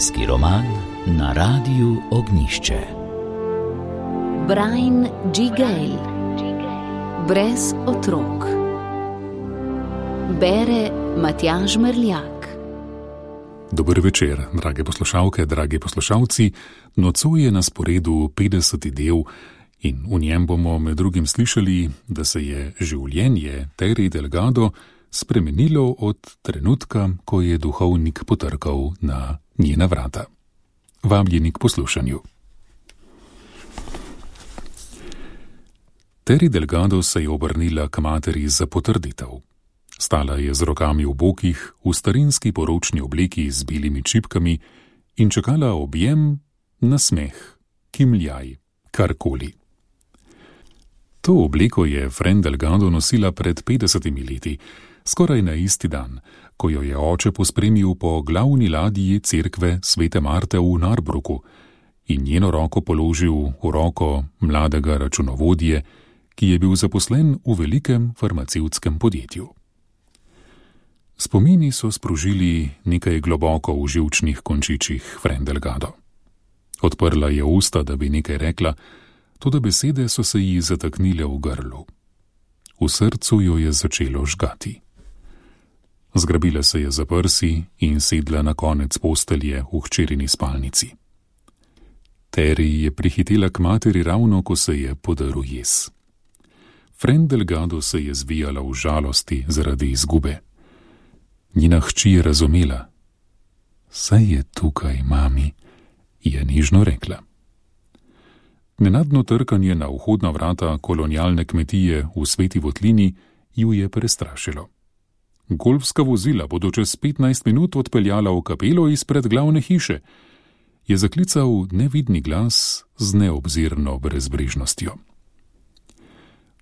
Družinski roman na Radiu Ognjišče. Brian G. Gale. Brez otrok. Bere Matjaž Merljak. Dober večer, drage poslušalke, dragi poslušalci. Nocoj je na sporedu 50. del in v njem bomo med drugim slišali, da se je življenje Terry Delgado spremenilo od trenutka, ko je duhovnik potrkal na njena vrata. Vabljeni k poslušanju. Terry Delgado se je obrnila k materi za potrditev. Stala je z rokami v bokih, v starinski poročni obleki z belimi čipkami in čakala objem, nasmeh, kimljaj, karkoli. To obleko je Fran Delgado nosila pred 50 leti, skoraj na isti dan, ko jo je oče pospremil po glavni ladji cerkve Svete Marte v Narbruku in njeno roko položil v roko mladega računovodje, ki je bil zaposlen v velikem farmacevtskem podjetju. Spomini so sprožili nekaj globoko v živčnih končičih Fran Delgado. Odprla je usta, da bi nekaj rekla, toda besede so se ji zataknile v grlu. V srcu jo je začelo žgati. Zgrabila se je za prsi in sedla na konec postelje v hčerini spalnici. Terry je prihitela k materi ravno, ko se je podaril jez. Fran Delgado se je zvijala v žalosti zaradi izgube. Njena hči je razumela. Saj je tukaj, mami, je nežno rekla. Nenadno trkanje na vhodna vrata kolonialne kmetije v Sveti Votlini ju je prestrašilo. Golfska vozila bodo čez 15 minut odpeljala v kapelo izpred glavne hiše, je zaklical nevidni glas z neobzirno brezbrižnostjo.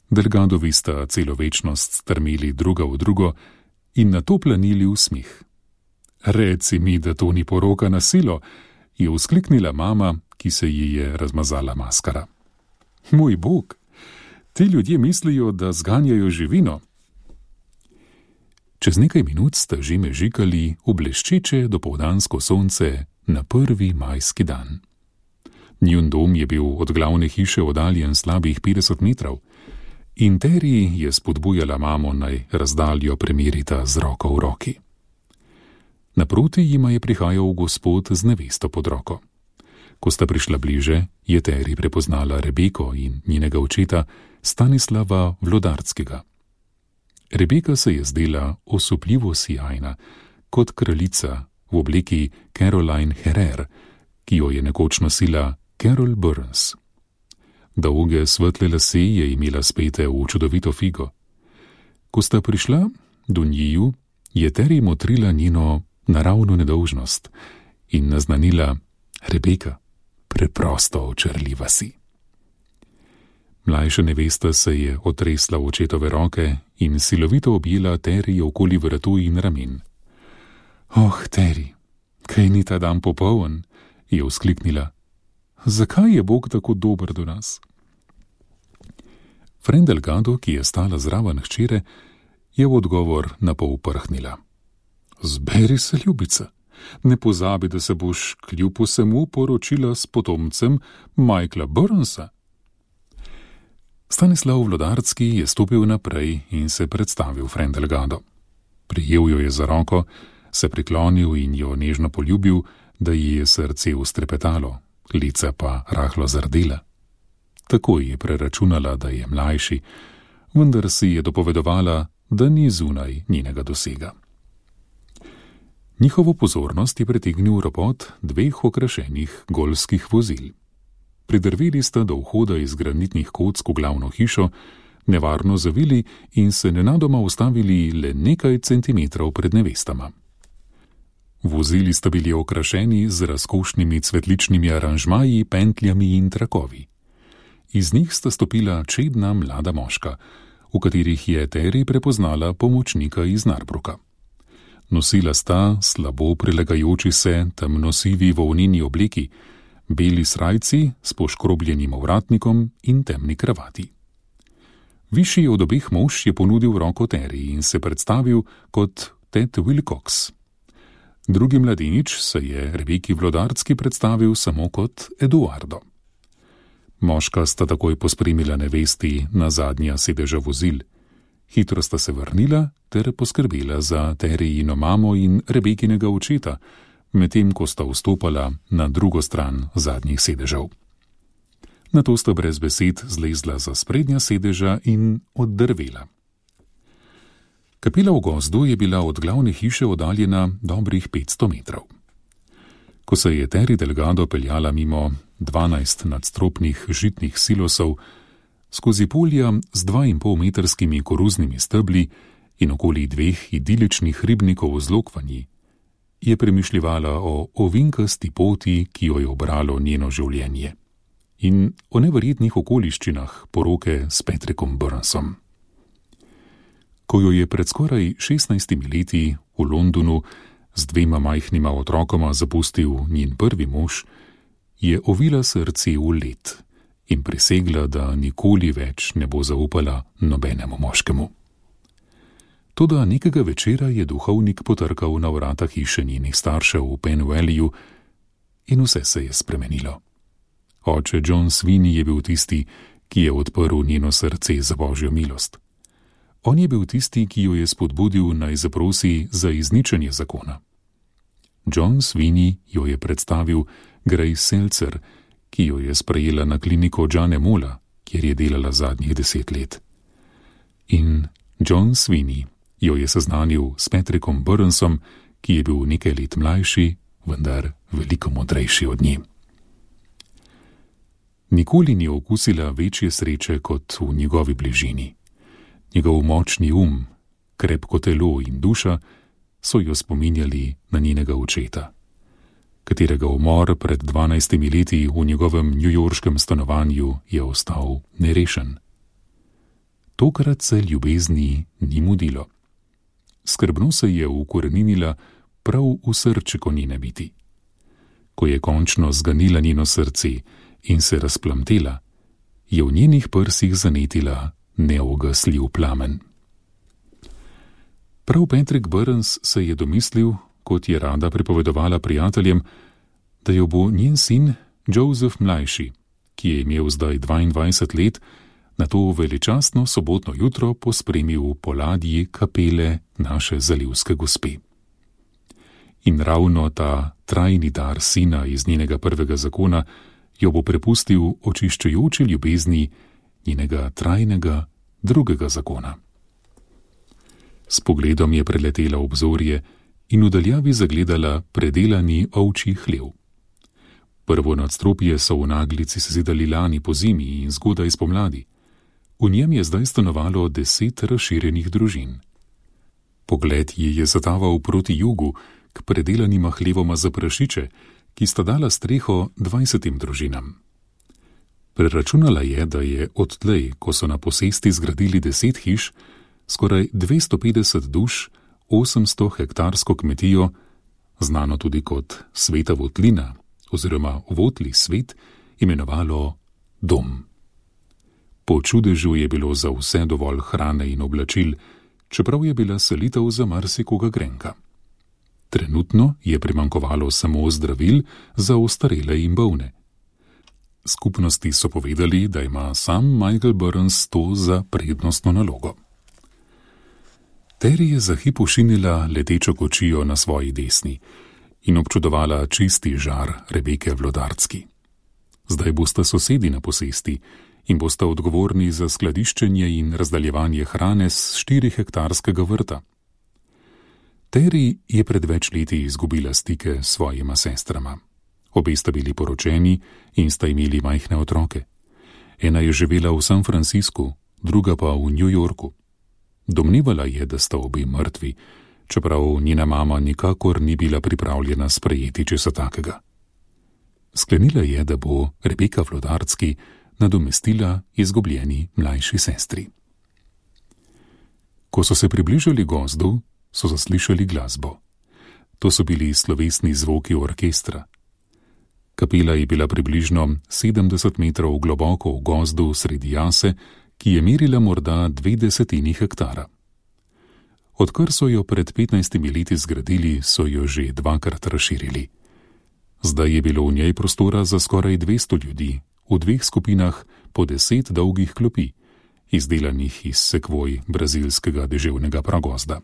Delgadovi sta celo večnost strmeli druga v drugo in nato planili v smeh. Reci mi, da to ni poroka na silo, je vzkliknila mama, ki se ji je razmazala maskara. Moj Bog, ti ljudje mislijo, da zganjajo živino. Čez nekaj minut sta že mežikali v bleščeče dopoldansko sonce na prvi majski dan. Njun dom je bil od glavne hiše oddaljen slabih 50 metrov in Terry je spodbujala mamo, naj razdaljo premerita z roko v roki. Naproti jima je prihajal gospod z nevesto pod roko. Ko sta prišla bliže, je Terry prepoznala Rebeko in njenega očeta Stanislava Vlodarskega. Rebeka se je zdela osupljivo sijajna, kot kraljica v obleki Caroline Herrera, ki jo je nekoč nosila Carol Burns. Dolge svetle lase je imela spete v čudovito figo. Ko sta prišla do njiju, je Terry motrila njeno naravno nedolžnost in naznanila: Rebeka, preprosto očarljiva si. Mlajša nevesta se je otresla v očetove roke in silovito objela Terry okoli vratu in ramen. Oh, Terry, kaj ni ta dan popoln, je vzkliknila. Zakaj je Bog tako dober do nas? Fran Delgado, ki je stala zraven hčere, je v odgovor napol prhnila. Zberi se, ljubica, ne pozabi, da se boš kljub vsemu poročila s potomcem Michaela Burnsa. Stanislav Vlodarski je stopil naprej in se predstavil Fran Delgado. Prijel jo je za roko, se priklonil in jo nežno poljubil, da ji je srce ustrepetalo, lica pa rahlo zardela. Takoj je preračunala, da je mlajši, vendar si je dopovedovala, da ni zunaj njenega dosega. Njihovo pozornost je pritegnil ropot dveh okrašenih golfskih vozil. Pridrveli sta do vhoda iz granitnih kock v glavno hišo, nevarno zavili in se nenadoma ustavili le nekaj centimetrov pred nevestama. Vozili sta bili okrašeni z razkošnimi cvetličnimi aranžmaji, pentljami in trakovi. Iz njih sta stopila čedna mlada moška, v katerih je Terry prepoznala pomočnika iz Narbruka. Nosila sta slabo prilegajoči se temnosivi volneni obleki, beli srajci s poškrobljenim ovratnikom in temni kravati. Višji od obeh mož je ponudil roko Terry in se predstavil kot Ted Wilcox. Drugi mladenič se je Rebeki Vlodarski predstavil samo kot Eduardo. Moška sta takoj pospremila nevesti na zadnja sedeža vozil. Hitro sta se vrnila ter poskrbela za Terryino mamo in Rebekinega očeta, medtem ko sta vstopala na drugo stran zadnjih sedežev. Nato sta brez besed zlezla za sprednja sedeža in oddrvela. Kapela v gozdu je bila od glavne hiše oddaljena dobrih 500 metrov. Ko se je Terry Delgado peljala mimo 12 nadstropnih žitnih silosov, skozi polja z 2,5-metrskimi koruznimi stebli in okoli 2 idiličnih ribnikov z lokvanji, je premišljevala o ovinkasti poti, ki jo je obralo njeno življenje, in o neverjetnih okoliščinah poroke s Patrickom Burnsom. Ko jo je pred skoraj 16 leti v Londonu z 2 majhnima otrokoma zapustil njen prvi mož, je ovila srce v led in prisegla, da nikoli več ne bo zaupala nobenemu moškemu. Toda nekega večera je duhovnik potrkal na vrata hiše njenih staršev v Penn Valleyju in vse se je spremenilo. Oče John Sweeney je bil tisti, ki je odprl njeno srce za Božjo milost. On je bil tisti, ki jo je spodbudil, naj zaprosi za izničenje zakona. John Sweeney jo je predstavil Grace Seltzer, ki jo je sprejela na kliniko Johna Molla, kjer je delala zadnjih 10 let. In John Sweeney jo je seznanil s Patrickom Burnsom, ki je bil nekaj let mlajši, vendar veliko modrejši od nje. Nikoli ni okusila večje sreče kot v njegovi bližini. Njegov močni krepko telo in duša so jo spominjali na njenega očeta, katerega umor pred 12 leti v njegovem newyorškem stanovanju je ostal nerešen. Tokrat se ljubezni ni mudilo. Skrbno se je ukoreninila prav v srčiko njene biti. Ko je končno zganila njeno srce in se razplamtela, je v njenih prsih zanetila neugasljiv plamen. Prav Patrick Burns se je domislil, kot je rada pripovedovala prijateljem, da jo bo njen sin Joseph mlajši, ki je imel zdaj 22 let, na to veličastno sobotno jutro pospremil po ladji kapele naše zalivske gospe. In ravno ta trajni dar sina iz njenega prvega zakona jo bo prepustil očiščujoči ljubezni njenega trajnega drugega zakona. S pogledom je preletela obzorje in v daljavi zagledala predelani ovčji hlev. Prvo nadstropje so v naglici sezidali lani po zimi in zgodaj spomladi. V njem je zdaj stanovalo 10 razširjenih družin. Pogled ji je zataval proti jugu, k predelanima hlevoma za prašiče, ki sta dala streho 20 družinam. Preračunala je, da je odtlej, ko so na posesti zgradili 10 hiš, skoraj 250 duš, 800 hektarsko kmetijo, znano tudi kot Sveta votlina oziroma Votli svet, imenovalo dom. Po čudežu je bilo za vse dovolj hrane in oblačil, čeprav je bila selitev za marsikoga grenka. Trenutno je primanjkovalo samo zdravil za ostarele in bolne. Skupnosti so povedali, da ima sam Michael Burns to za prednostno nalogo. Terry je za hip ošinila letečo kočijo na svoji desni in občudovala čisti žar Rebeke Vlodarski. Zdaj bosta sosedi na posesti in bosta odgovorni za skladiščenje in razdaljevanje hrane s 4-hektarskega vrta. Terry je pred več leti izgubila stike s svojima sestrama. Obe sta bili poročeni in sta imeli majhne otroke. Ena je živela v San Franciscu, druga pa v New Yorku. Domnevala je, da sta obe mrtvi, čeprav njena mama nikakor ni bila pripravljena sprejeti česa takega. Sklenila je, da bo Rebeka Vlodarski nadomestila izgubljeni mlajši sestri. Ko so se približali gozdu, so zaslišali glasbo. To so bili slovesni zvoki orkestra. Kapela je bila približno 70 metrov globoko v gozdu sredi jase, ki je merila morda 20 hektara. Odkar so jo pred 15 leti zgradili, so jo že 2-krat razširili. Zdaj je bilo v njej prostora za skoraj 200 ljudi, v 2 skupinah po 10 dolgih klopi, izdelanih iz sekvoj brazilskega deževnega pragozda.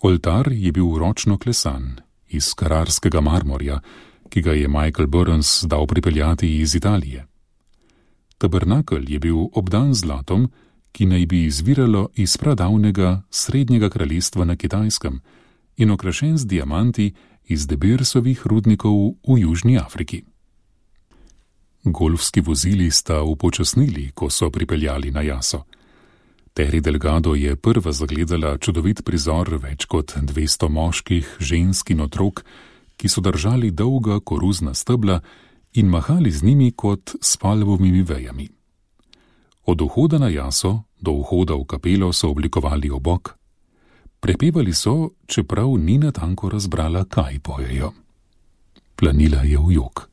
Oltar je bil ročno klesan iz kararskega marmorja, ki ga je Michael Burns dal pripeljati iz Italije. Tabernakelj je bil obdan zlatom, ki naj bi izviralo iz pradavnega srednjega kraljestva na Kitajskem in okrašen z diamanti iz De Beersovih rudnikov v Južni Afriki. Golfski vozili sta upočasnili, ko so pripeljali na jaso. Terry Delgado je prva zagledala čudovit prizor več kot 200 moških, žensk in otrok, ki so držali dolga koruzna stebla in mahali z njimi kot s palvovimi vejami. Od vhoda na jaso do vhoda v kapelo so oblikovali obok. Prepevali so, čeprav ni natanko razbrala, kaj pojejo. Planila je v jok.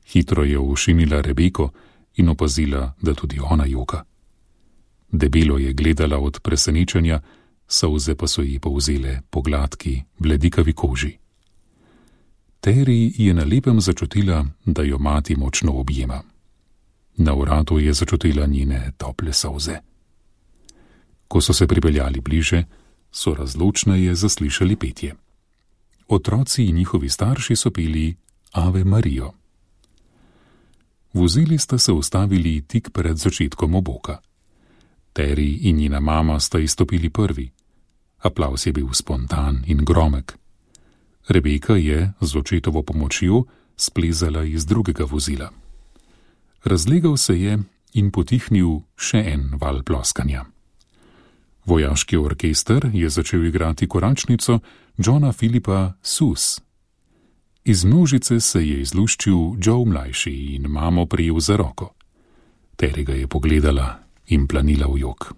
Hitro je ošinila Rebeko in opazila, da tudi ona joka. Debelo je gledala od presenečenja, solze pa so ji povzele po gladki, bledikavi koži. Terry je na lepem začutila, da jo mati močno objema. Na vratu je začutila njene tople solze. Ko so se pripeljali bliže, so razločneje zaslišali petje. Otroci in njihovi starši so peli Ave Marijo. Vozili sta se ustavili tik pred začetkom oboka. Terry in njena mama sta izstopili prvi. Aplavz je bil spontan in gromek. Rebeka je z očetovo pomočjo splezala iz drugega vozila. Razlegal se je in potihnil še en val ploskanja. Vojaški orkester je začel igrati koračnico Johna Philipa Sus. Iz množice se je izluščil Joe mlajši in mamo prijel za roko. Terry ga je pogledala in planila v jok.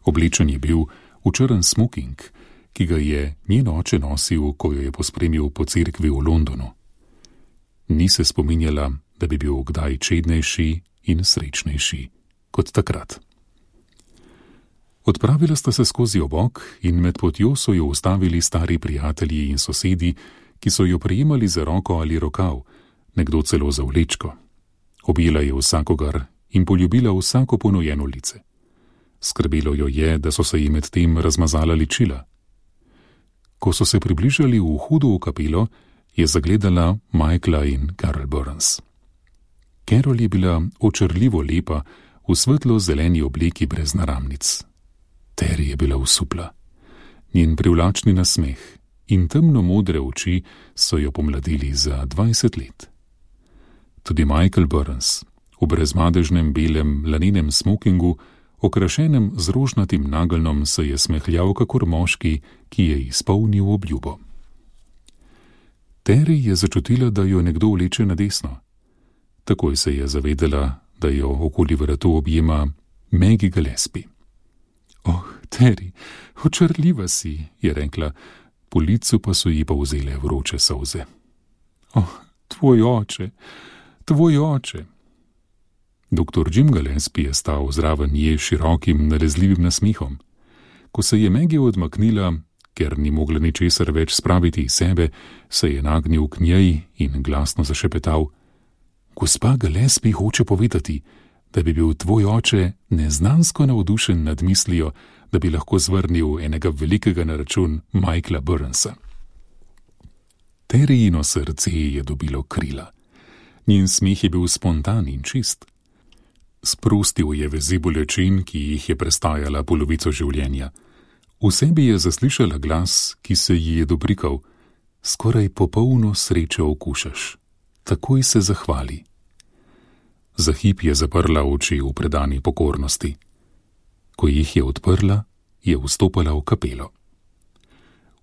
Oblečen je bil v črn smoking, ki ga je njen oče nosil, ko jo je pospremil po cerkvi v Londonu. Ni se spominjala, da bi bil kdaj čednejši in srečnejši kot takrat. Odpravila sta se skozi obok in med potjo so jo ustavili stari prijatelji in sosedi, ki so jo prijemali za roko ali rokav, nekdo celo za vlečko. Objela je vsakogar in poljubila vsako ponujeno lice. Skrbelo jo je, da so se ji med tem razmazala ličila. Ko so se približali v vhodu v kapelo, je zagledala Michaela in Carol Burns. Carol je bila očarljivo lepa v svetlo-zeleni obleki brez naramnic. Terry je bila osupla. Njen privlačni nasmeh in temno-modre oči so jo pomladili za 20 let. Tudi Michael Burns, v brezmadežnem belem lanenem smokingu, okrašenem z rožnatim nageljnom, se je smehljal kakor moški, ki je izpolnil obljubo. Terry je začutila, da jo nekdo vleče na desno. Takoj se je zavedela, da jo okoli vratu objema Maggie Gillespie. Oh, Terry, očarljiva si, je rekla, po licu pa so ji povzele vroče solze. Oh, tvoj oče. Doktor Jim Gillespie je stal zraven nje širokim, nalezljivim nasmehom. Ko se je Maggie odmaknila, ker ni mogla ničesar več spraviti iz sebe, se je nagnil k njej in glasno zašepetal: Gospa Gillespie hoče povedati, da bi bil tvoj oče neznansko navdušen nad mislijo, da bi lahko zvrnil enega velikega na račun Michaela Burnsa. Terryino srce je dobilo krila. Njen smeh je bil spontan in čist. Sprostil je vezi bolečin, ki jih je prestajala polovico življenja. V sebi je zaslišala glas, ki se ji je dobrikal: Skoraj popolno srečo okušaš. Takoj se zahvali. Za hip je zaprla oči v predani pokornosti. Ko jih je odprla, je vstopala v kapelo.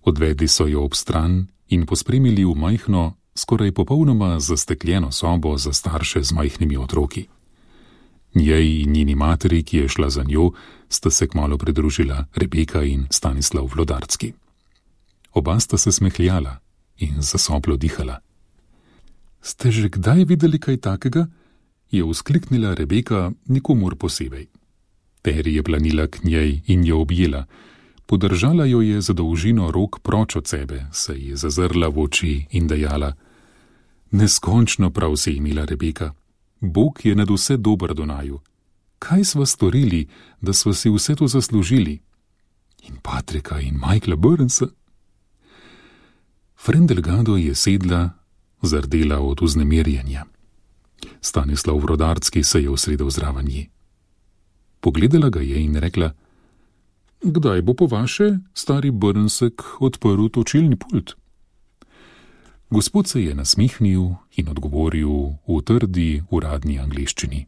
Odvedli so jo ob stran in pospremili v majhno, skoraj popolnoma zastekljeno sobo za starše z majhnimi otroki. Njej in njeni materi, ki je šla za njo, sta se kmalu pridružila Rebeka in Stanislav Vlodarski. Oba sta se smehljala in zasoplo dihala. Ste že kdaj videli kaj takega? Je vzkliknila Rebeka, nikomur posebej. Terry je planila k njej in jo objela. Podržala jo je za dolžino rok proč od sebe, se je zazrla v oči in dejala: Neskončno prav si imela, Rebeka. Bog je nad vse dober do naju. Kaj sva storili, da sva si vse to zaslužili? In Patrika in Michaela Burnsa. Frendelgado je sedla, zardela od vznemirjenja. Stanislav Vrodarski se je usedel zraven nje. Pogledala ga je in rekla: Kdaj bo po vaše stari Burnsek odprl točilni pult? Gospod se je nasmihnil in odgovoril v trdi uradni angleščini: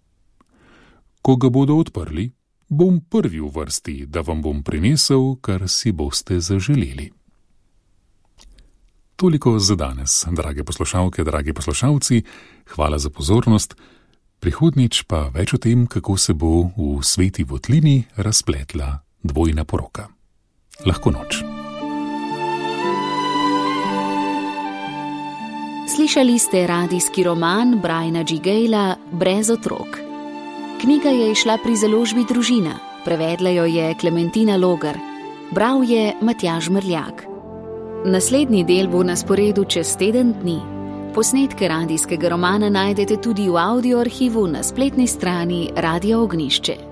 Ko ga bodo odprli, bom prvi v vrsti, da vam bom prinesel, kar si boste zaželeli. Toliko za danes, drage poslušalke, dragi poslušalci, hvala za pozornost. Prihodnjič pa več o tem, kako se bo v Sveti votlini razpletla dvojna poroka. Lahko noč. Slišali ste radijski roman Briana G. Gayla Brez otrok. Knjiga je izšla pri založbi Družina, prevedla jo je Klementina Logar, bral je Matjaž Mrljak. Naslednji del bo na sporedu čez teden dni. Posnetke radijskega romana najdete tudi v audio arhivu na spletni strani Radia Ognjišče.